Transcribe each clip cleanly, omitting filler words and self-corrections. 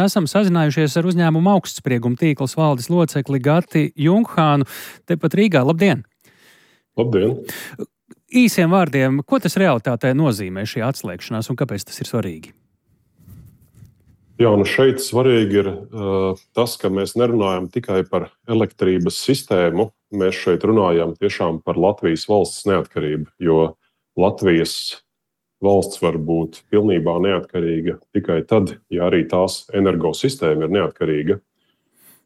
Esam sazinājušies ar uzņēmumu augstsprieguma tīkls valdes locekli Gati Junkhānu, tepat Rīgā. Labdien! Labdien! Īsiem vārdiem, ko tas realitātē nozīmē šī atslēgšanās un kāpēc tas ir svarīgi? Jā, šeit svarīgi ir tas, ka mēs nerunājam tikai par elektrības sistēmu, mēs šeit runājam tiešām par Latvijas valsts neatkarību, jo Latvijas valsts var būt pilnībā neatkarīga tikai tad, ja arī tās energosistēma ir neatkarīga.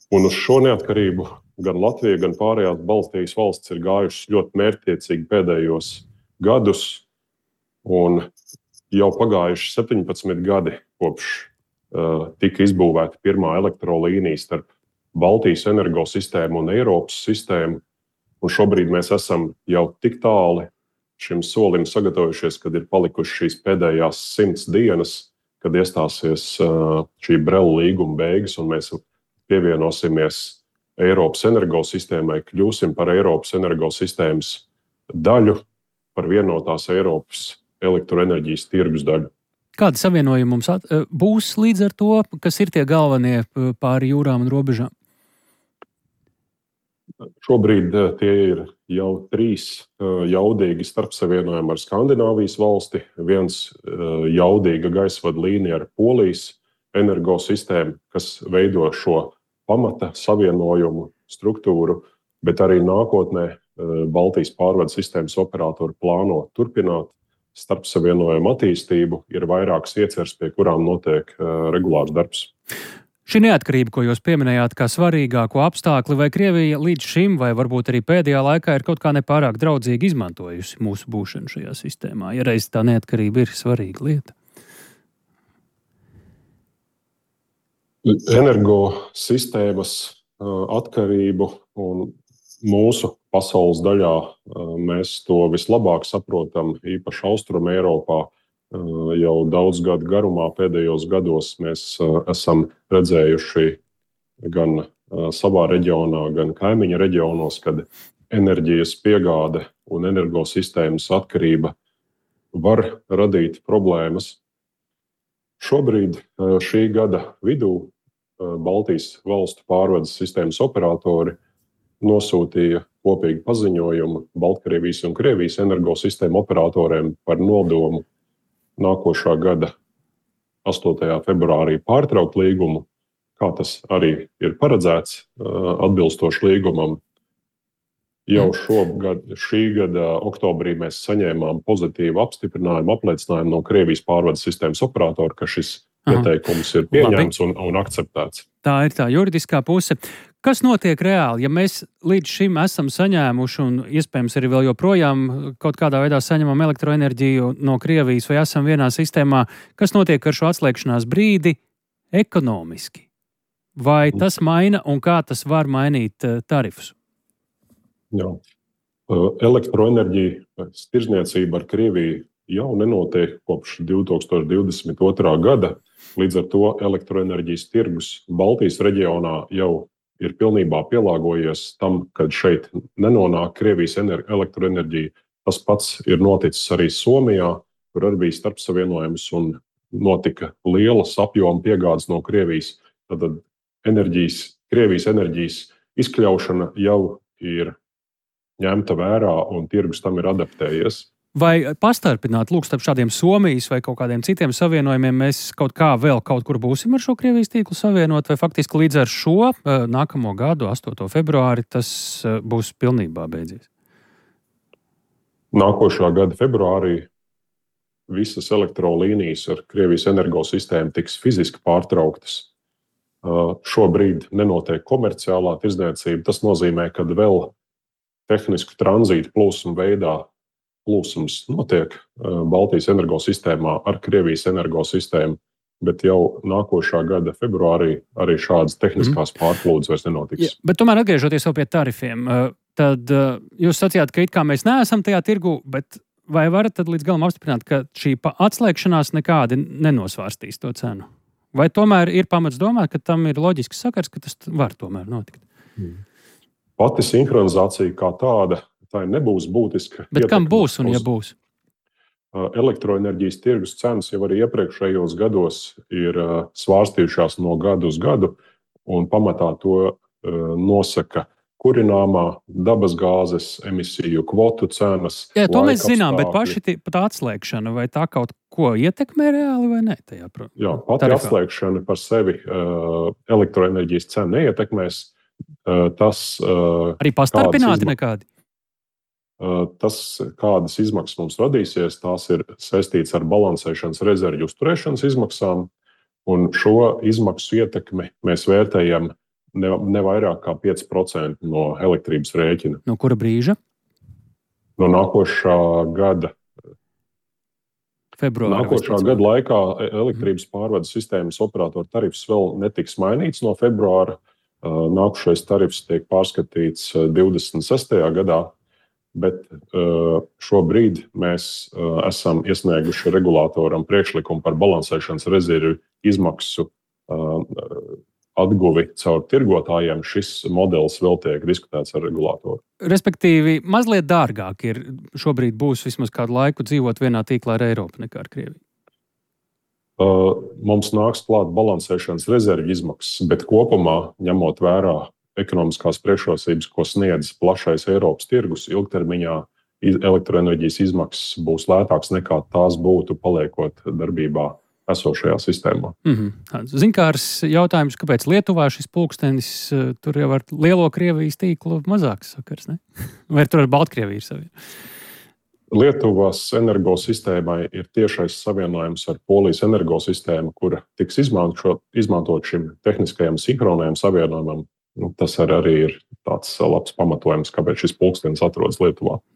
Un uz šo neatkarību gan Latvija, gan pārējās Baltijas valsts ir gājušas ļoti mērķtiecīgi pēdējos gadus, un jau pagājuši 17 gadi kopš tika izbūvēta pirmā elektrolīnija starp Baltijas energosistēmu un Eiropas sistēmu. Un šobrīd mēs esam jau tik tāli šim solim sagatavojušies, kad ir palikušas šīs pēdējās 100 dienas, kad iestāsies šī Brela līguma beigas, un mēs pievienosimies Eiropas energosistēmai, kļūsim par Eiropas energosistēmas daļu, par vienotās Eiropas elektroenerģijas tirgus daļu. Kādi savienojumi mums būs līdz ar to, kas ir tie galvenie pāri jūrām un robežām? Šobrīd tie ir jau 3 jaudīgi starpsavienojumi ar Skandināvijas valsti, viens jaudīga gaisvadu līnija ar Polijas energosistēmu, kas veido šo pamata savienojumu struktūru, bet arī nākotnē Baltijas pārvades sistēmas operatori plāno turpināt starpsavienojumu attīstību, ir vairākas ieceres, pie kurām notiek regulārs darbs. Šī neatkarība, ko jūs pieminējāt kā svarīgāko apstākli, vai Krievija līdz šim, vai varbūt arī pēdējā laikā ir kaut kā nepārāk draudzīgi izmantojusi mūsu būšanu šajā sistēmā, ja reiz tā neatkarība ir svarīga lieta? Energosistēmas atkarību un mūsu pasaules daļā mēs to vislabāk saprotam, īpaši Austrum Eiropā. Jau daudz gadu garumā pēdējos gados mēs esam redzējuši gan savā reģionā, gan kaimiņa reģionos, kad enerģijas piegāde un energosistēmas atkarība var radīt problēmas. Šobrīd šī gada vidū Baltijas valstu pārvades sistēmas operatori nosūtīja kopīgu paziņojumu Baltkrievijas un Krievijas energosistēmu operatoriem par nodomu nākošā gada 8. februārī pārtraukt līgumu, kā tas arī ir paredzēts atbilstoši līgumam. Jau šī gada oktobrī mēs saņēmām pozitīvu apstiprinājumu, apliecinājumu no Krievijas pārvades sistēmas operatora, ka šis ieteikums ir pieņemts un akceptēts. Tā ir tā juridiskā puse. Kas notiek reāli, ja mēs līdz šim esam saņēmuši un iespējams arī vēl joprojām kaut kādā veidā saņemam elektroenerģiju no Krievijas vai esam vienā sistēmā, kas notiek ar šo atslēgšanās brīdi ekonomiski? Vai tas maina un kā tas var mainīt tarifus? Jā. Elektroenerģijas tirdzniecība ar Krieviju jau nenotiek kopš 2022. gada. Līdz ar to elektroenerģijas tirgus Baltijas reģionā jau ir pilnībā pielāgojies tam, kad šeit nenonāk Krievijas elektroenerģija. Tas pats ir noticis arī Somijā, kur arī bija starpsavienojums un notika lielas apjoma piegādes no Krievijas. Tad Krievijas enerģijas izkļaušana jau ir ņemta vērā un tirgus tam ir adaptējies. Vai pastarpināt, starp šādiem Somijas vai kaut kādiem citiem savienojumiem mēs kaut kā vēl kaut kur būsim ar šo Krievijas tīklu savienot, vai faktiski līdz ar šo nākamo gadu, 8. februāri, tas būs pilnībā beidzies? Nākošā gada februārī visas elektrolīnijas ar Krievijas energosistēmu tiks fiziski pārtrauktas. Šobrīd nenotiek komerciālā tirdzniecība. Tas nozīmē, ka vēl tehnisku tranzītu plūsmu veidā plūsums notiek Baltijas energosistēmā ar Krievijas energosistēmu, bet jau nākošā gada februārī arī šādas tehniskās pārplūdes vairs nenotiks. Ja, bet tomēr atgriežoties vēl pie tarifiem, tad jūs sacījāt, ka it kā mēs neesam tajā tirgu, bet vai varat tad līdz galam apstiprināt, ka šī atslēgšanās nekādi nenosvārstīs to cenu? Vai tomēr ir pamats domāt, ka tam ir loģisks sakars, ka tas var tomēr notikt? Pati sinhronizācija kā tāda, tā nebūs būtiska. Bet kam būs un ja būs? elektroenerģijas tirgus cenas jau arī iepriekšējos gados ir svārstījušās no gadu uz gadu, un pamatā to nosaka kurināmā, dabasgāzes, emisiju kvotu cenas. Jā, to mēs zinām, bet paši tā atslēgšana, vai tā kaut ko ietekmē reāli vai ne? Jā, pati atslēgšana par sevi elektroenerģijas cenu neietekmēs. Arī pastarpināti nekādi? Tas, kādas izmaksas mums radīsies, tās ir saistītas ar balansēšanas rezervju uzturēšanas izmaksām, un šo izmaksu ietekmi mēs vērtējam ne vairāk kā 5% no elektrības rēķina. No kura brīža? No nākošā gada. Februāra. Nākošā gada laikā elektrības pārvades sistēmas operatoru tarifs vēl netiks mainīts no februāra. Nākošais tarifs tiek pārskatīts 26. gadā, bet šobrīd mēs esam iesnieguši regulātoram priekšlikumu par balansēšanas rezervju izmaksu atguvi caur tirgotājiem. Šis modelis vēl tiek diskutēts ar regulātoru. Respektīvi, mazliet dārgāk ir šobrīd būs vismaz kādu laiku dzīvot vienā tīklā ar Eiropu nekā ar Krieviju. Mums nāks klāt balansēšanas rezervju izmaksas, bet kopumā, ņemot vērā ekonomiskās priekšrocības, ko sniedz plašais Eiropas tirgus, ilgtermiņā elektroenerģijas izmaksas būs lētākas nekā tās būtu paliekot darbībā esošajā sistēmā. Zinkārs jautājums, kāpēc Lietuvā šis pulkstenis tur jau ar lielo Krievijas tīklu mazāks sakars, ne? Vai tur ar Baltkrieviju ir savienojums? Lietuvas energosistēmai ir tiešais savienojums ar Polijas energosistēmu, kura tiks izmantot šim tehniskajam sinhronajam savienojumam. Tas arī ir tāds labs pamatojums, kāpēc šis pulkstenis atrodas Lietuvā.